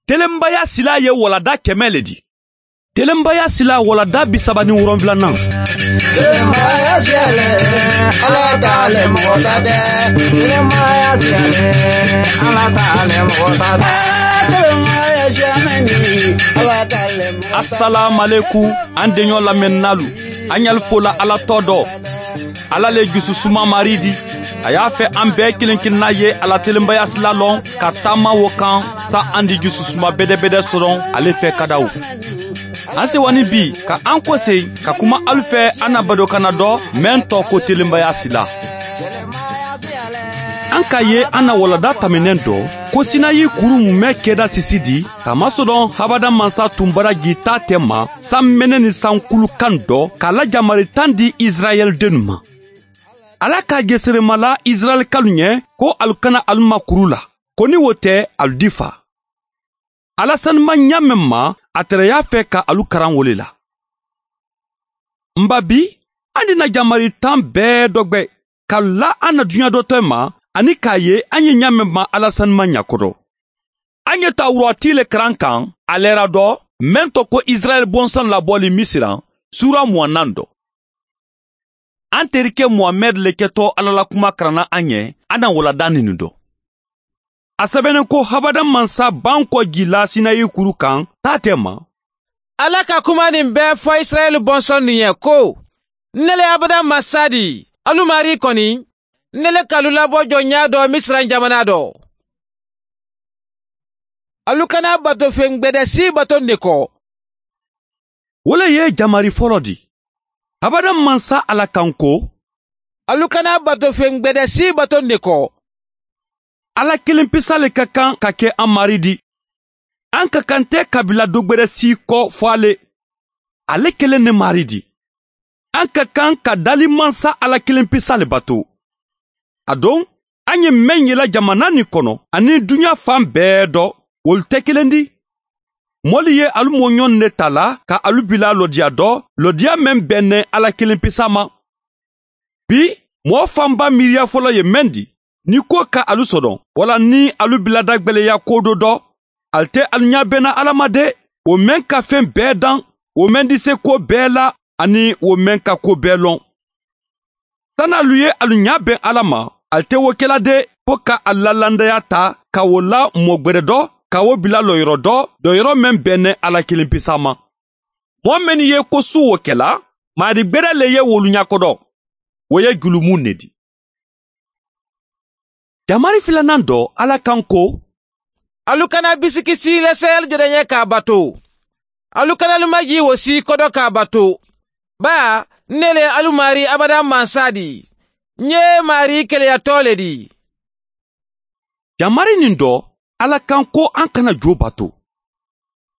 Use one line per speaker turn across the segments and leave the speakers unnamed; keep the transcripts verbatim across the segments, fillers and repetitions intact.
Telenbaya sila ye walada kɛmɛ le di. Telenbaya sila walada bi saba ni wolonfilanan.
Telenbaya siyale, Ala t'ale mɔgɔ ta tɛ. Telenbaya siyale, Ala t'ale mɔgɔ ta tɛ. Telenbaya siyamɛni, Ala t'ale mɔgɔ ta tɛ.
Assalamu alaikum, an deɲɔ lamɛnnalu. An y'al fola Ala tɔ dɔ. Ala le jususuma mari di. A y'a fɛ an bɛɛ kelen kelenna ye Ala telenbaya sila lɔn ka taama wo kan sa an di jususuma bɛdɛbɛdɛ sɔrɔ ale fɛ kadaw. An sewani bi ka an kɔsen ka kuma alu fɛ an na badokana dɔ mɛn tɔ ko telenbaya sila. An ka ye an na walada tɛmɛnen dɔ ko Sinayi kuru mumɛ kɛda sisi di kamasɔrɔ habada mansa tun bara jita tɛ ma san mɛnɛ ni sankulu kan dɔ k'a la jamari tan di Israɛl dennu ma. Ala ka geseremala Israɛl kalu ɲɛ ko alu kana alu ma kuru la, ko ni wo tɛ alu di fa. Ala sanuma ɲa mɛn ma a tɛrɛ y'a fɛ ka alu karan wole la. Nba bi an dina jamari tan bɛɛ dɔgbɛ ka la an na duɲa dɔ tɛ ma ani k'a ye an ye ɲa mɛn ma Ala sanuma ɲakɔrɔ. An ye tawurati le karan kan a lɛra dɔ mɛn tɔ ko Israɛl bɔnsɔn labɔli Misiran sura mugan dɔ. An terikɛ Muhamɛd le kɛtɔ Ala la kuma karanna an ɲɛ an na walada nin dɔ. A sɛbɛnnen ko habada mansa ban kɔ jila Sinayi kuru kan taa tɛ ma.
Ala ka kuma nin bɛɛ fɔ Israɛl bɔnsɔn nin ye ko ne le habada mansa di alu mari kɔni ne le k'alu labɔ jɔnya dɔ Misiran jamana dɔ. Alu kana bato fɛn gbɛdɛ si bato ne kɔ.
O le ye jamari fɔlɔ di. Habada mansa Ala kan ko
alu kana bato fɛn gbɛdɛ si bato ne kɔ.
Ala kelen pesa le ka kan ka kɛ an mari di. An ka kan tɛ kabila dɔ gbɛdɛ si kɔ fɔ ale. Ale kelen ne mari di. An ka kan ka dali mansa Ala kelen pesa le bato. A don an ye mɛn yela jamana nin kɔnɔ ani duɲa fan bɛɛ dɔ olu tɛ kelen di. Mɔli ye alu mɔɲɔn ne ta la ka alu bila lɔdiya dɔ lɔdiya mɛn bɛnnen Ala kelen pesa ma. Bi mɔɔ fanba miiriya fɔlɔ ye mɛn di ni ko ka alu sɔdɔn wala ni alu bila dagbɛlɛya ko dɔ dɔ ali tɛ alu ɲa bɛnna Ala ma de o mɛn ka fɛn bɛɛ dan o mɛn di se ko bɛɛ la ani o mɛn ka ko bɛɛ lɔn. Sanni alu ye alu ɲa bɛn Ala ma ali tɛ wo kɛla de fo ka a lalandaya ta ka o la mɔ gbɛrɛ dɔ ka wo bila lɔyɔrɔ dɔ dɔyɔrɔ mɛn bɛnnen Ala kelen pesa ma. Mɔɔ mɛnni ye ko su wo kɛla maari gbɛrɛ le ye wolu ɲakɔdɔ o ye julumun ne di. Jamari filanan dɔ Ala kan ko
alu kana bisikisi lase alu jɔdɛ ɲɛ k'a bato. Alu kana alu maji wo si kɔdɔ k'a bato. Ba ne le alu mari abada mansa di. N ye mari keleyatɔ le di.
Jamari nin dɔ Ala kan ko an kana jo bato.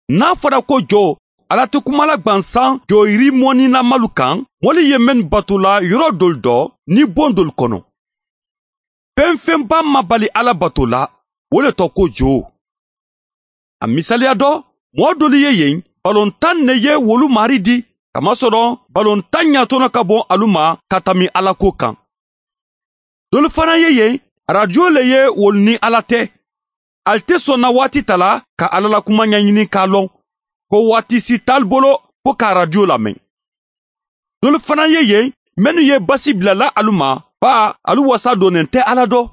N'a fɔra ko jo, Ala tɛ kuma la gwansan joyiri mɔnina kan, mɔli ye mɛn bato la yɔrɔ dolu dɔ ni bon dolu kɔnɔ. Fɛn fɛnba ma bali Ala bato la, o le tɔ ko jo. A misaliya dɔ, mɔɔ dolu ye yen, balontan ne ye wolu mari di, kamasɔrɔ balontan ɲatɔnɔ ka bɔ alu ma ka tami Ala ko kan. Dolu fana ye yen, arajo le ye wolu ni Ala tɛ. Ali tɛ sɔnna waati ta la ka Ala la kuma ɲɛɲini k'a lɔn, ko waati si t'ali bolo fo ka arajo lamɛn. Dolu fana ye yen, minnu ye basi bilala alu ma, ba alu wasa donnen tɛ Ala dɔ.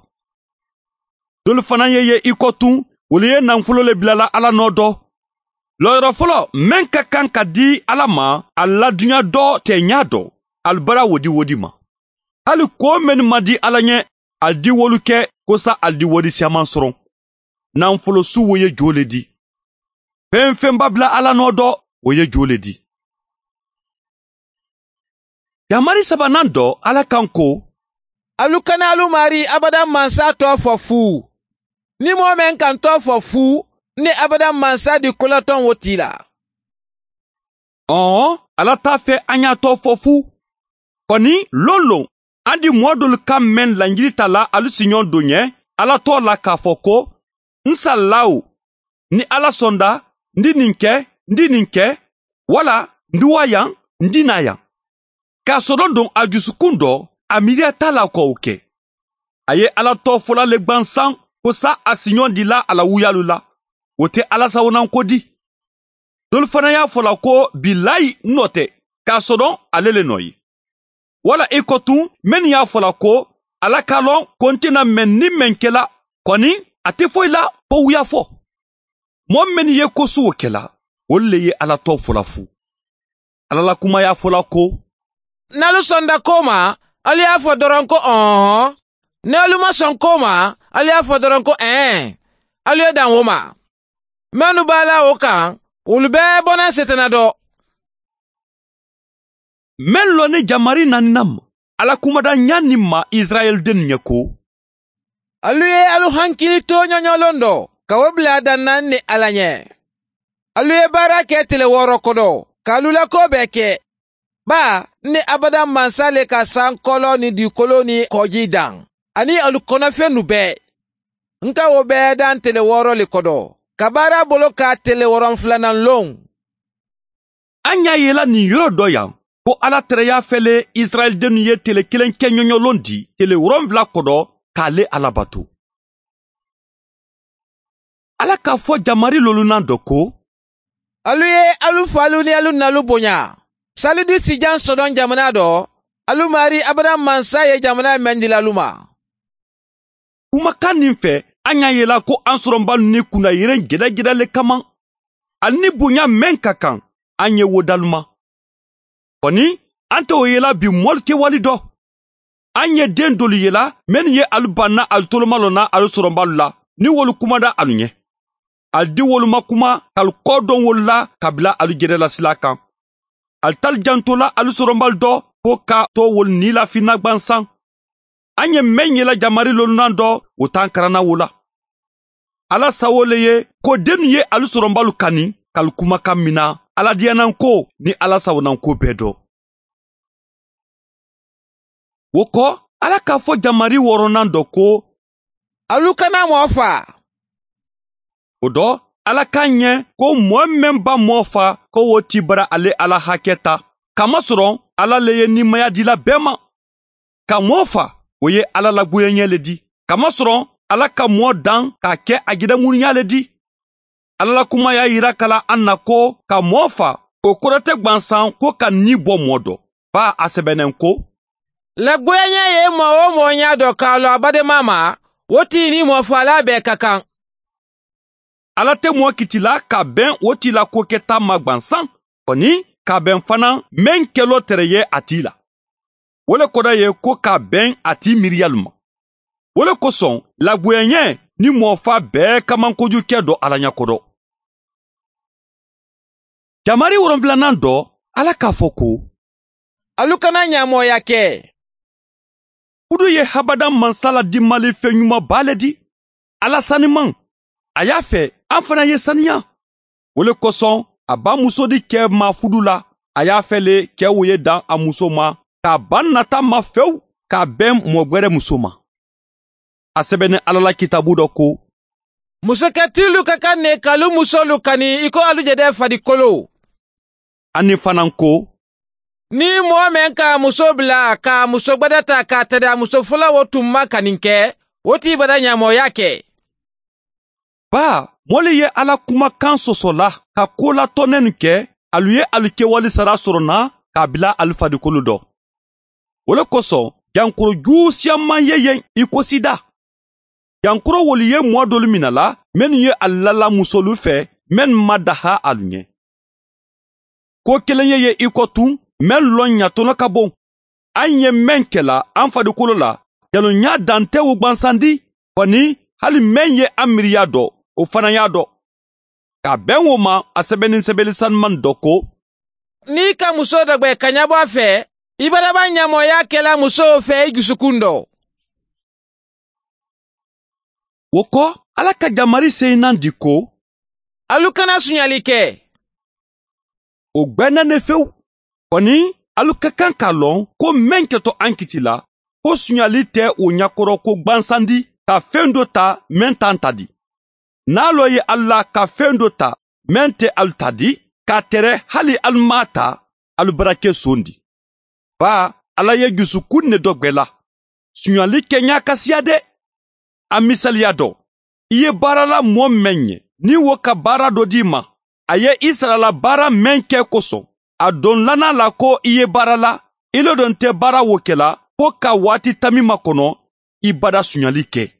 Dolu fana ye ye i kɔ tun, olu ye nafolo le bilala Ala nɔ dɔ. Lɔyɔrɔ fɔlɔ mɛn ka kan ka di Ala ma, a la duɲa dɔ tɛ ɲa dɔ, alu bara wodi wodi ma. Hali ko mɛnnu ma di Ala ɲɛ, ali di wolu kɛ ko sa ali di wodi siaman sɔrɔ. Nafolo su wo ye jo le di. Fɛn fɛnba bila Ala nɔ dɔ, o ye jo le di. Jamari sabanan dɔ Ala kan ko
alu kana alu mari abada mansa tɔ fɔ fu. Ni mɔɔ mɛn kan tɔ fɔ fu, ni abada mansa di kolatɔn wo ti la.
Ɔn, Ala t'a fɛ an y'a tɔ fɔ fu. Kɔni lon lon, an di mɔɔ dolu ka mɛn laɲini ta la alu siɲɔn don ɲɛ, Ala tɔ la k'a fɔ ko n salila o, ni Ala sɔnda, n di nin kɛ, n di nin kɛ, wala n di wa yan, n di na yan. K'a sɔrɔ don a dusukun dɔ, a miiriya t'a la k'o kɛ. A ye Ala tɔ fɔla le gwansan ko sa a siɲɔn di la a la wuyalu la. o tɛ Ala sawonan ko di. Dolu fana y'a fɔla ko bilayi nɔ tɛ, k'a sɔrɔ ale le nɔ ye. Wala i ko tun minnu y'a fɔla ko Ala k'a lɔn ko n tɛna mɛn ni mɛn kɛla, kɔni a tɛ foyi la fo wuya fɔ. Mɔɔ minnu ye ko sugu kɛla, olu le ye Ala tɔ fɔla fu. Ala la kuma y'a fɔla ko
n'alu sɔnda ko ma, alu y'a fɔ dɔrɔn ko ɔhɔn. Ni alu ma sɔn ko ma, alu y'a fɔ dɔrɔn ko ɛn. Alu ye dan o ma. Minnu b'a la o kan, olu bɛɛ bɔnna setana dɔ.
Mɛn lɔ ni jamari naaninan ma, Ala kumada ɲa nin ma Israɛl den ɲɛ ko
alu ye alu hankili to ɲɔɲɔlon dɔ, ka o bila danna ni Ala ɲɛ. Alu ye baara kɛ tile wɔɔrɔ kɔnɔ, k'alu la ko bɛɛ kɛ. Ba ni abada mansa le ka sankɔlɔ ni dugukolo ni kɔji dan, ani alu kɔnɔfɛn nu bɛɛ. N ka o bɛɛ dan tile wɔɔrɔ le kɔnɔ, ka baara bolo ka tile wɔɔrɔnfilanan lon.
An y'a yela nin yɔrɔ dɔ yan ko Ala tɛrɛ y'a fɛle Israɛl denw ye tile kelen kɛ ɲɔɲɔlon di tile wɔɔrɔnfila kɔnɔ k'ale Ala bato. Ala k'a fɔ jamari lolunan dɔ ko
alu ye alu falu ni alu nalu bonya. Salidi sijan sɔdɔn jamana dɔ, alu mari abada mansa ye jamana mɛn dila alu ma.
Kumakan nin fɛ, an y'a yela ko an sɔrɔnba ni kunna yɛrɛ gɛlɛgɛlɛ le kama. Ani ni bonya mɛn ka kan, an ye wo daluma. Kɔni, an tɛ o yela bi mɔli kɛwali dɔ. An ye den dolu yela minnu ye alu banna alu toloma na alu sɔrɔnbalu la, ni wolu kumada alu ɲɛ. Al di wolu ma kuma k'alu kɔ dɔn wolu la ka bila alu jɛrɛla sila kan. Al tal jantola alu sɔrɔnbalu dɔ ko ka to wolu ni lafinna gwansan. An ye mɛn yela jamari lolunan dɔ, o t'an karanna wo la. Ala sawo le ye ko dennu ye alu sɔrɔnbalu kani k'alu kumakan mina Ala diyanan ko ni Ala sawonan ko bɛɛ dɔ. O kɔ, Ala k'a fɔ jamari wɔɔrɔnan dɔ ko
alu kana mɔɔ fa.
O dɔ, Ala k'a ɲɛ ko mɔɔ mɛn ba mɔɔ fa ko o ti bara ale Ala hakɛ ta. Kamasɔrɔ Ala le ye nimaya dila bɛɛ ma. Ka mɔɔ fa, o ye Ala lagoyaɲɛ le di. Kamasɔrɔ Ala ka mɔɔ dan k'a kɛ a gidɛŋunuya le di. Ala la kuma y'a yira kala an na ko ka mɔɔ fa, o kɔrɔ tɛ gwansan ko ka ni bɔ mɔɔ dɔ. Ba a sɛbɛnnen ko
lagoyaɲɛ ye mɔɔ o mɔɔ ɲa dɔ k'a lɔ a badenma ma, o t'i ni mɔɔ bɛɛ ka kan.
Ala tɛ mɔɔ kitila ka bɛn o t'i la ko kɛta ma gwansan, kɔni ka bɛn fana mɛn kɛlɔ tɛrɛ ye a t'i la. O le kɔrɔ ye ko ka bɛn a t'i miiriyalu ma. O le kosɔn lagoyaɲɛ ni mɔɔ fa bɛɛ kaman kojugu kɛ dɔ Ala ɲɛkɔrɔ. Jamari wɔrɔnfilanan dɔ, Ala k'a fɔ ko
alu kana ɲamɔya kɛ.
Kudu ye habada mansa la dimali fɛn ɲumanba le di. Ala saniman, a y'a fɛ an fana ye saniya. O le kosɔn a ba muso di kɛ ma fudu la, a y'a fɛ le kɛ o ye dan a muso ma, k'a ba nata ma fewu k'a bɛn mɔgɔ muso ma. A sɛbɛnni Ala la kitabu dɔ ko
musokɛtilu ka kan ne k'alu musolu kani i ko alu jɛdɛ farikolo.
Ani fana ko
ni mɔɔ mɛn k'a muso bila k'a muso gbɛdɛ ta k'a tɛrɛ a muso fɔlɔ o tun ma kani kɛ, o t'i bada ɲamɔya kɛ.
Ba mɔli ye Ala kumakan sɔsɔ la ka ko latɔnɛ nin kɛ, alu ye alu kɛwale sara sɔrɔ na k'a bila alu farikolo dɔ. O le kosɔn jankoro jugu siyaman ye yen i ko sida. Jankoro wolu ye mɔɔ dolu mina la minnu ye alu lala musolu fɛ minnu ma daha alu ɲɛ. Ko kelen ye ye i kɔ tun mɛn lɔn ɲatɔnɔ ka bon. An ye mɛn kɛla an farikolo la, jalonya dan tɛ o gwansandi, kɔni hali mɛn ye an miiriya dɔ, o fana y'a dɔn. Ka bɛn o ma, a sɛbɛnni sɛbɛnni sanuman dɔ ko
n'i ka muso dɔ gbɛ ka ɲɛbɔ a fɛ, i baraba ɲamɔya kɛla musow fɛ i dusukun dɔ.
O kɔ, Ala ka jamari seyinan di ko
alu kana suɲali kɛ.
O gbɛnna ne fewu. Kɔni alu ka kan k'a lɔn ko mɛn kɛtɔ an kiti la, ko suɲali tɛ o ɲakɔrɔ ko gwansandi ka fɛn dɔ ta mɛn t'an ta di. N'a lɔ ye alu la ka fɛn dɔ ta mɛn tɛ alu ta di, k'a tɛrɛ hali alu m'a ta, alu bara kɛ son di. Ba Ala ye dusukun ne dɔ gbɛ la. Suɲali kɛ ɲa ka siya dɛ. A misaliya dɔ, i ye baarala mɔɔ mɛn ɲɛ Ni wo ka baara dɔ d'i ma, a ye i sarala baara mɛn kɛ kosɔn, a don lana la ko i ye baara la, i le don tɛ baara wo kɛla fo ka waati tami makɔnɔ, i bada suɲali kɛ.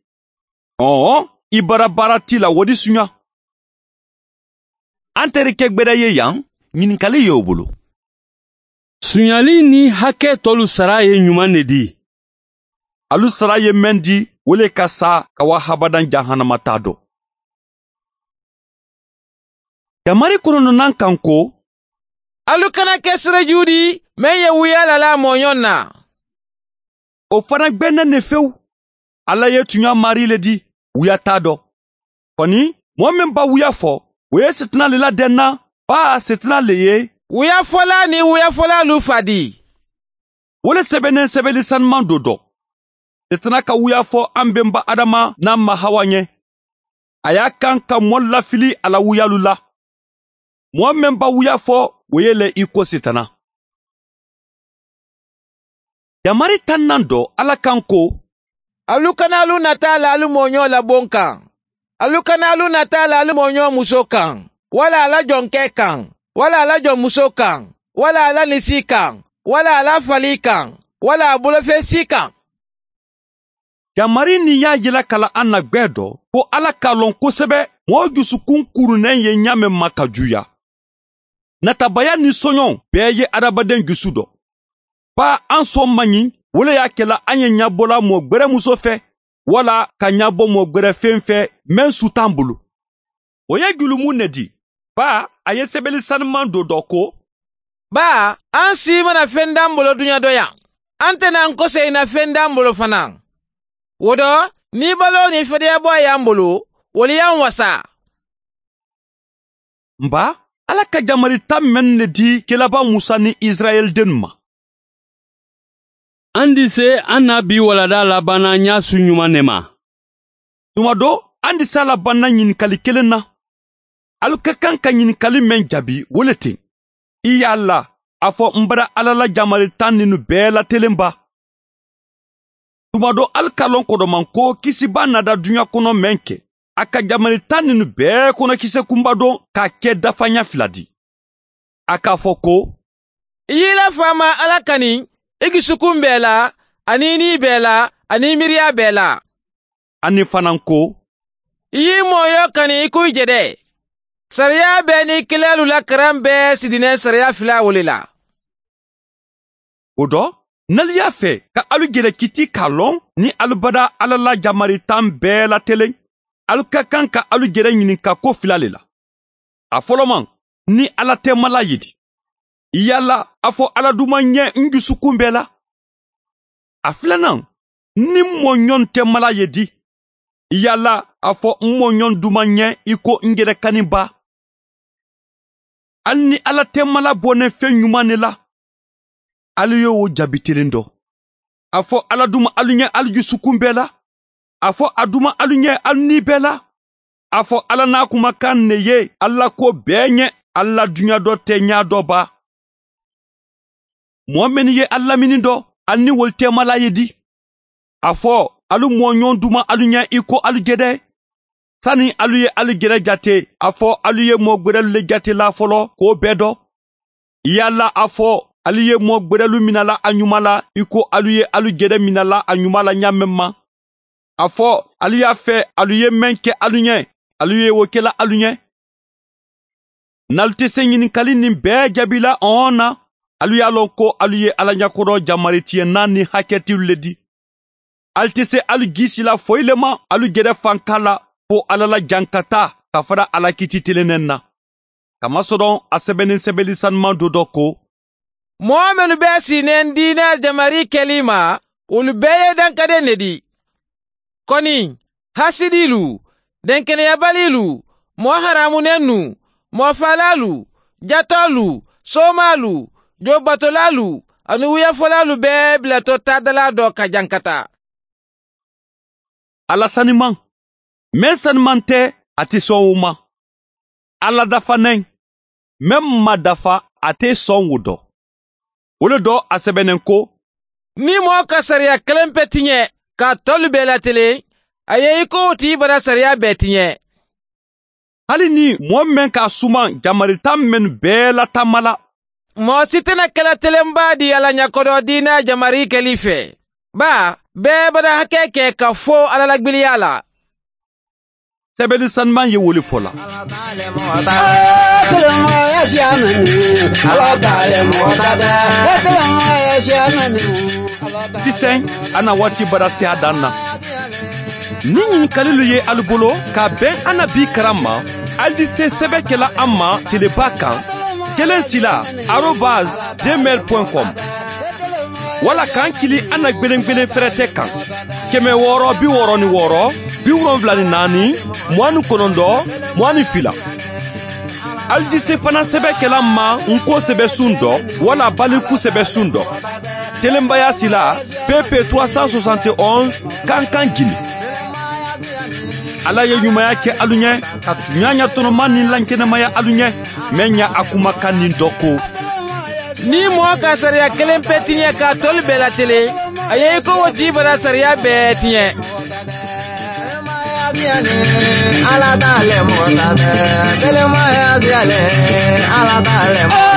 Ɔɔ, i bara baara t'i la wo di suɲa.
An terikɛ gbɛdɛ ye yan, ɲininkali y'o bolo.
Suɲali ni hakɛ tɔlu sara ye ɲuman de di.
Alu sara ye mɛn di, o le ka sa ka wa habadan jahanama t'a dɔn. Jamari kɔnɔnɔnan kan ko,
alu kana kɛ siraju di, mɛn ye wuya lala mɔɲɔn na.
O fana gbɛnnɛ ne fewu. Ala ye tunya mari le di, wuya t'a dɔn. Kɔni, mɔgɔ min ba wuya fɔ, o ye sitina le ladɛn na, ba sitina le ye.
Wuya fɔla ni wuya fɔla lu fa di.
O le sɛbɛnnen sɛbɛnni sanuman do dɔ. Sitina ka wuya fɔ an bɛnba Adama n'a ma Hawa ɲɛ. A y'a kan ka mɔ lafili a la wuyalu la. Mɔgɔ min ba wuya fɔ, o ye lɛ i ko sitana. Jamari tan nan dɔ Ala kan ko,
alu kana alu nata la alu mɔɲɔ la bon kan. Alu kana alu nata la alu mɔɲɔ muso kan. Wala ala jɔnkɛ kan. Wala ala jɔnmuso kan. Wala ala nisi kan. Wala ala fali kan. Wala a bolofɛn si kan.
Jamari nin y'a yira kala an na gbɛ dɔ ko Ala k'a lɔn kosɛbɛ mɔgɔ dusukun kurunnen ye ɲa min ma ka juya. Natabaya ni sɔɲɔ bɛɛ ye adamaden dusu dɔ. Ba an sɔn man ɲi, o le y'a kɛla an ye ɲabɔla mɔgɔ gbɛrɛ muso fɛ, wala ka ɲabɔ mɔgɔ gbɛrɛ fɛn fɛ mɛn su t'an bolo. O ye julumun ne di. Ba a ye sɛbɛnni sanuman do dɔ ko,
ba an si mana fɛn d'an bolo duɲa dɔ yan, an tɛna an kɔsegin na fɛn d'an bolo fana. O dɔ, ni balo ni fɛdɛyabɔ y'an bolo, olu y'an wasa.
Nba, Ala ka jamari tan mɛn ne di kelaba Musa ni Israɛl den ma.
An di se an na bi walada labanna ɲa su ɲuman ne ma.
Tuma dɔ, an di se a labanna ɲininkali kelen na. Alu ka kan ka ɲininkali mɛn jaabi o le ten. I y'a la, a fɔ n bara Ala la jamari tan ninnu bɛɛ latelen ba. Tuma dɔ alu ka lɔn kɔdɔman ko kisiba nada duɲa kɔnɔ mɛn kɛ. A ka jamari tan ninnu bɛɛ kɔnɔ kisɛ kunba dɔn k'a kɛ dafanya fila di. A k'a fɔ ko,
i y'i la faama Ala kani, i dusukun bɛɛ la, ani ni bɛɛ la, ani miiriya bɛɛ la.
Ani fana ko,
i y'i mɔyɔ kani i k'u jɛdɛ. Sariya bɛɛ ni kilalu la karan bɛɛ sidinɛ sariya fila wole la.
O dɔ, n'alu y'a fɛ ka alu jɛrɛ kiti k'a lɔn ni alu bada Ala la jamari tan bɛɛ latelen, alu ka kan ka alu jɛrɛ ɲininka ko fila le la. A fɔlɔman, ni Ala tɛ mala ye di. Yala a fɔ Ala duman ɲɛ n dusukun bɛɛ la. A filanan, ni mɔɲɔn tɛ mala ye di. Yala a fɔ n mɔɲɔn duman ɲɛ i ko n yɛrɛ kani ba. Hali ni Ala tɛ mala bɔnɛ fɛn ɲuman ne la, alu ye o jaabi telen dɔ. A fɔ Ala duma alu ɲɛ alu dusukun bɛɛ la. A fɔ a duma alu ɲɛ alu ni bɛɛ la. A fɔ Ala n'a kumakan ne ye Ala ko bɛɛ ɲɛ, Ala duɲa dɔ tɛ ɲa dɔ ba. Mɔgɔ min ye Ala lamini dɔ, ali ni wol tɛ mala ye di. A fɔ alu mɔɲɔn duma alu ɲɛ i ko alu jɛdɛ. Sani alu ye alu jɛrɛ jate, a fɔ alu ye mɔgɔ gbɛrɛlu le jate la fɔlɔ k'o bɛɛ dɔn. Yala a fɔ alu ye mɔgɔ gbɛrɛlu minala a ɲuman la i ko alu ye alu jɛrɛ minala a ɲuman la ɲa mɛn ma. A fɔ alu y'a fɛ alu ye mɛn kɛ alu ɲɛ, alu ye o kɛla alu ɲɛ. N'alu tɛ se ɲininkali nin bɛɛ jaabi la ɔn na, alu y'a lɔn ko alu ye Ala ɲɛkɔrɔ jamari tiɲɛ naani hakɛtiw le di. Alu tɛ se alu gisi la foyi le ma alu jɛrɛ fanka la fo Ala la jankata ka fara Ala kiti telennen na. Kamasɔrɔ a sɛbɛnnen sɛbɛnni sanuman do dɔ ko,
mɔgɔ minnu bɛ sinnen diinɛ jamari kɛli ma, olu bɛɛ ye dankaden de di. Kɔni, hasidilu, denkɛnɛyabalilu, mɔgɔ haramunennu, mɔgɔ falalu, jatɔlu, somalu, jobatolalu, ani wuyafɔlalu bɛɛ bilatɔ tadala dɔ ka jankata.
Ala saniman, mɛn saniman tɛ, a tɛ sɔn o ma. Ala dafanen, mɛn ma dafa, a tɛ sɔn o dɔ. O le dɔ a sɛbɛnnen ko,
ni mɔgɔ ka sariya kelen pe tiɲɛ ka tɔlu bɛɛ latelen, a ye i ko o tigi bara sariya bɛɛ tiɲɛ.
Hali ni mɔɔ mɛn k'a suman jamarita mɛn bɛɛ latama la.
Mɔɔ si tɛna kɛla telenba di Ala ɲɛkɔrɔ diinɛ jamari kɛli fɛ. Ba bɛɛ bada hakɛ kɛ ka fo Ala lagbiliya la.
Sɛbɛnni sanuman ye wele fɔ la. Sisan an na waati bara se a dan na. Ni ɲininkalilu ye alu bolo ka bɛn an na bi karan ma, alu di se sɛbɛn kɛla an ma teleba kan kelen sila arobase gmail point com wala k'an kili an na gwelen-gwelen fɛrɛtɛ kan kɛmɛ wɔɔrɔ bi wɔɔrɔ ni wɔɔrɔ bi wolonfila ni naani mugan ni kɔnɔntɔn mugan ni fila. Alu di se fana sɛbɛn kɛla ma nko sɛbɛn sun dɔ wala baliku sɛbɛn sun dɔ. Telenbaya sila P P trois cent soixante et onze Kankan Guinée. Ala ye ɲumanya kɛ alu ɲɛ ka tuɲa ɲa tɔnɔma ni lankɛnɛmaya alu ɲɛ mɛn ɲa a kumakan nin dɔ ko.
Ni mɔɔ ka sariya kelen pe tiɲɛ k'a tɔlu bɛɛ latelen, a ye i ko o ji bara sariya bɛɛ tiɲɛ.
Ala t'ale mɔgɔ ta tɛ, kelenmaya siyalen, Ala t'ale mɔgɔ